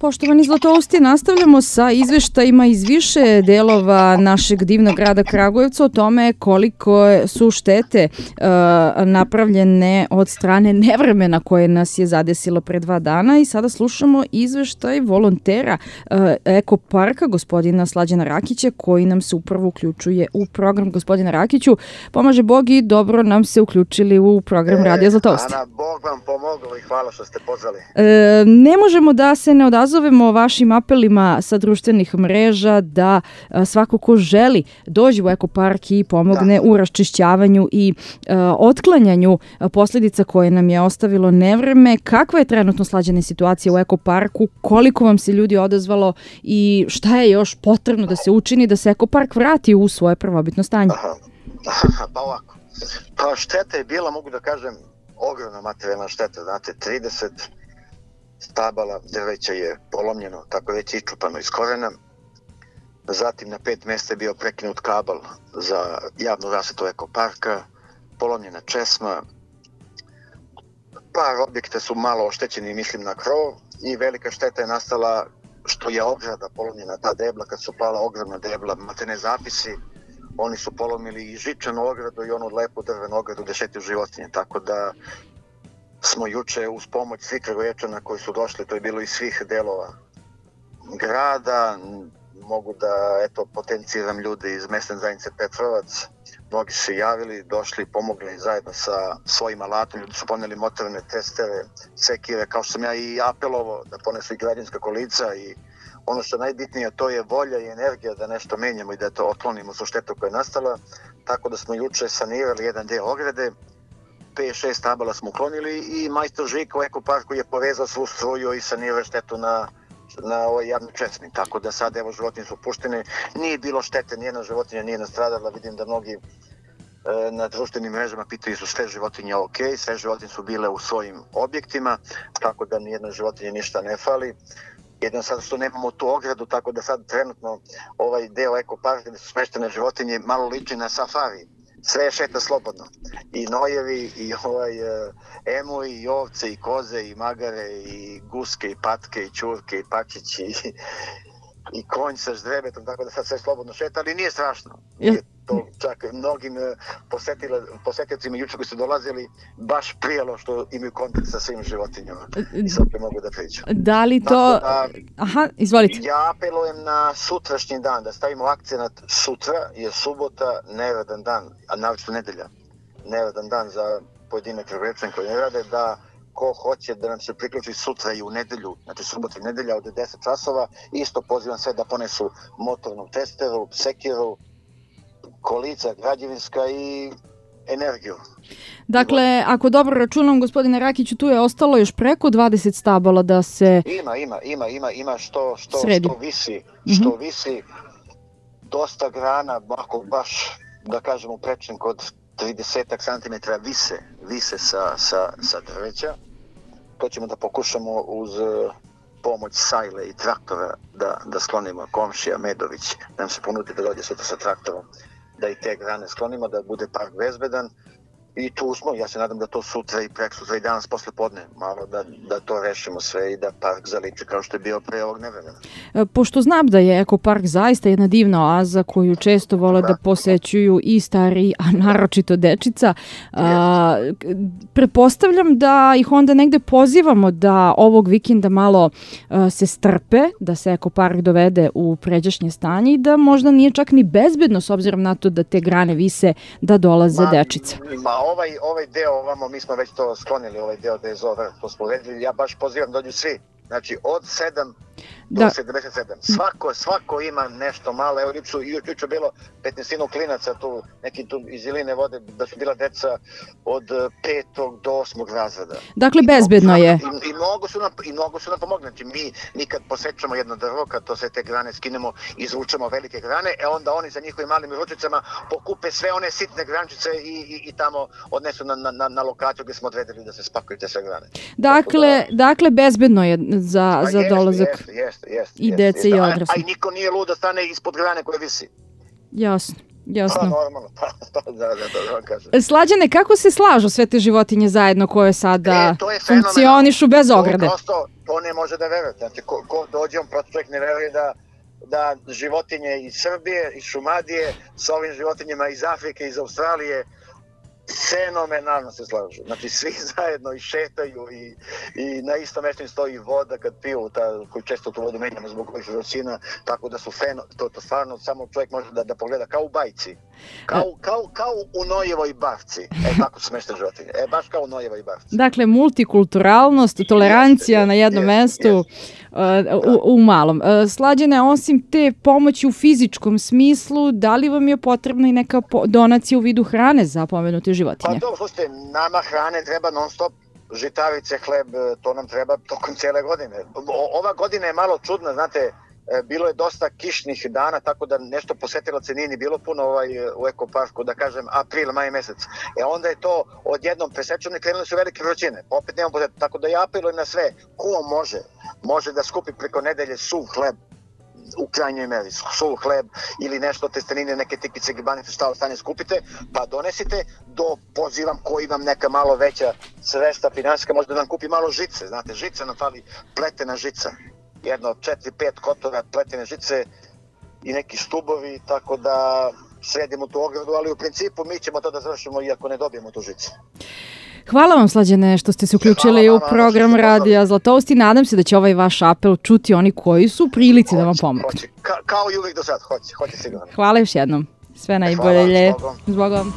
Poštovani Zlatousti, nastavljamo sa izveštajima iz više delova našeg divnog grada Kragujevca o tome koliko su štete napravljene od strane nevremena koje nas je zadesilo pre 2 dana i sada slušamo izveštaj volontera Ekoparka, gospodina Slađana Rakića, koji nam se upravo uključuje u program. Gospodina Rakiću, pomaže Bog i dobro nam se uključili u program Radija Zlatousti. Ana, Bog vam pomogao i hvala što ste pozvali. Ne možemo da se ne odazovemo vašim apelima sa društvenih mreža da svako ko želi dođe u Ekopark i pomogne u raščišćavanju i otklanjanju posljedica koje nam je ostavilo nevreme. Kakva je trenutno Slađana situacija u Ekoparku? Koliko vam se ljudi odazvalo i šta je još potrebno da se učini da se Ekopark vrati u svoje prvobitno stanje? Pa ovako. Pa šteta je bila, mogu da kažem, ogromna materijalna šteta. Znate, 30 stabala drveća je polomljeno, tako već iščupano iz korena. Zatim na 5 mjesta je bio prekinut kabel za javnu rasvetu Ekoparka, polomljena česma. Par objekta su malo oštećeni, mislim na krov, i velika šteta je nastala što je ograda polomljena, ta debla, kad su pala ogromna debla, matene zapisi, oni su polomili i žičanu ogradu i onu lepu drvenu ogradu gde šetaju životinje, tako da smo juče uz pomoć svih Kragujevčana koji su došli, to je bilo iz svih delova grada, mogu da potenciram ljude iz mesne zajednice Petrovac, mnogi su se javili, došli, pomogli zajedno sa svojim alatom, ljudi su poneli motorne testere, sekire, kao što sam ja i apelovao da ponesu i građanska kolica i ono što je najbitnije, to je volja i energija da nešto menjamo i da to otklonimo su štetu koja je nastala, tako da smo juče sanirali jedan deo ograde, 5-6 stabala smo uklonili i majstor Žika u Ekoparku je povezao svu struju i sanirao štetu na ovoj javnoj česmi, tako da sad evo životinje su puštene, nije bilo štete, nijedna životinja nije nastradala, vidim da mnogi na društvenim mrežama pitaju su sve životinje ok, sve životinje su bile u svojim objektima, tako da nijedna životinja ništa ne fali. Jedno sad što nemamo tu ogradu, tako da sad trenutno ovaj deo Ekoparka gdje su smeštene životinje malo liči na safari. Sve je šeta slobodno. I nojevi, i emuji, i ovce, i koze, i magare, i guske, i patke, i ćurke, i pačići, i konj sa ždrebetom, tako da sad sve slobodno šeta, ali nije strašno. To čak mnogim posetiocima juče koji su dolazili baš prijelo što imaju kontakt sa svim životinjama i sad mogu da pričam. Da li to... Aha, izvolite. Ja apelujem na sutrašnji dan, da stavimo akcenat sutra, jer subota neradan dan, a naročito nedelja, neradan dan za pojedine Kragujevčane koji ne rade, da ko hoće da nam se priključi sutra i u nedelju, znači subota i nedelja od 10 časova, isto pozivam sve da ponesu motornu testeru, sekiru, kolica, građevinska i energiju. Dakle, ako dobro računam, gospodine Rakiću, tu je ostalo još preko 20 stabala da se Ima što visi, dosta grana, ako baš, da kažemo, prečem kod 30 cm vise sa drveća. To ćemo da pokušamo uz pomoć sajle i traktora da sklonimo. Komšija Medović nam se ponudi da dođe sutra sa traktorom, da i te grane sklonimo, da bude park bezbedan. I tu smo, ja se nadam da to sutra i preksutra i danas posle podne, malo da to rešimo sve i da park zaliči kao što je bio pre ovog nevremena. Pošto znam da je Ekopark zaista jedna divna oaza koju često vole da posećuju i stariji, a naročito dečica, pretpostavljam da ih onda negde pozivamo da ovog vikenda malo se strpe, da se Ekopark dovede u pređašnje stanje i da možda nije čak ni bezbedno s obzirom na to da te grane vise da dolaze dečica. Ovaj deo ovamo, mi smo već to sklonili, ovaj deo da je zove, to smo uredili, ja baš pozivam dođu svi, znači od 7 do 77. Svako ima nešto malo, evo juče bilo 15 klinaca tu, neki tu iz Iline vode, da su bila deca od 5. do 8. razreda. Dakle, bezbedno je. I mnogo su nam pomogli. Znači, mi kad posečemo jedno drvo, kad to sve te grane skinemo, izvučemo velike grane, onda oni sa njihovim malim ručicama pokupe sve one sitne grančice i tamo odnesu na lokaciju gdje smo odredili da se spakuju te sve grane. Dakle, bezbedno je za dolazak. I dece i odrasli. A i niko nije lud da stane ispod grane koje visi. Jasno. Pa normalno, da kažem. Slađane, kako se slažu sve te životinje zajedno koje sada funkcionišu bez ograde? to ne može da veruje. Znači, ko dođe, on prosto čovjek ne veruje da životinje iz Srbije, iz Šumadije, sa ovim životinjama iz Afrike, iz Australije, fenomenalno se slažu. Znači, svi zajedno i šetaju i na istom mjestu im stoji voda kad piju, koju često tu vodu menjamo zbog ovih žrocina, tako da su to stvarno samo čovjek može da pogleda kao u bajci. Kao u Nojevoj bavci. Tako su smešne životinje. Baš kao u Nojevoj bavci. Dakle, multikulturalnost, tolerancija na jednom mestu u malom. Slađane, osim te pomoći u fizičkom smislu, da li vam je potrebna i neka donacija u vidu hrane za pomenute životinje? Pa dobro, slušajte, nama hrane treba non stop, žitarice, hleb, to nam treba tokom cijele godine. Ova godina je malo čudna, znate, bilo je dosta kišnih dana, tako da nešto posetilaca nije ni bilo puno u ekoparku, da kažem april, maj mesec. Onda je to odjednom presečeno i krenuli su velike vrućine. Opet nemam posjetiti, tako da ja apelujem na sve. Ko može da skupi preko nedelje suv hleb, u krajnjoj meri, suv hleb ili nešto testenine, neke tipice, gibanice, šta ostane skupite, pa donesite, pozivam koji vam neka malo veća sredstva finansijska, možda nam kupi malo žice, znate, žica nam fali, pletena žica, jedno 4-5 kotora pletene žice i neki stubovi, tako da sredimo tu ogradu, ali u principu mi ćemo to da završimo iako ne dobijemo tu žicu. Hvala vam, Slađane, što ste se uključili u program Radija Zlatoust i nadam se da će ovaj vaš apel čuti oni koji su u prilici da vam pomognu. Kao i uvijek do sad, hoće sigurno. Hvala još jednom. Sve najbolje. Zbogom.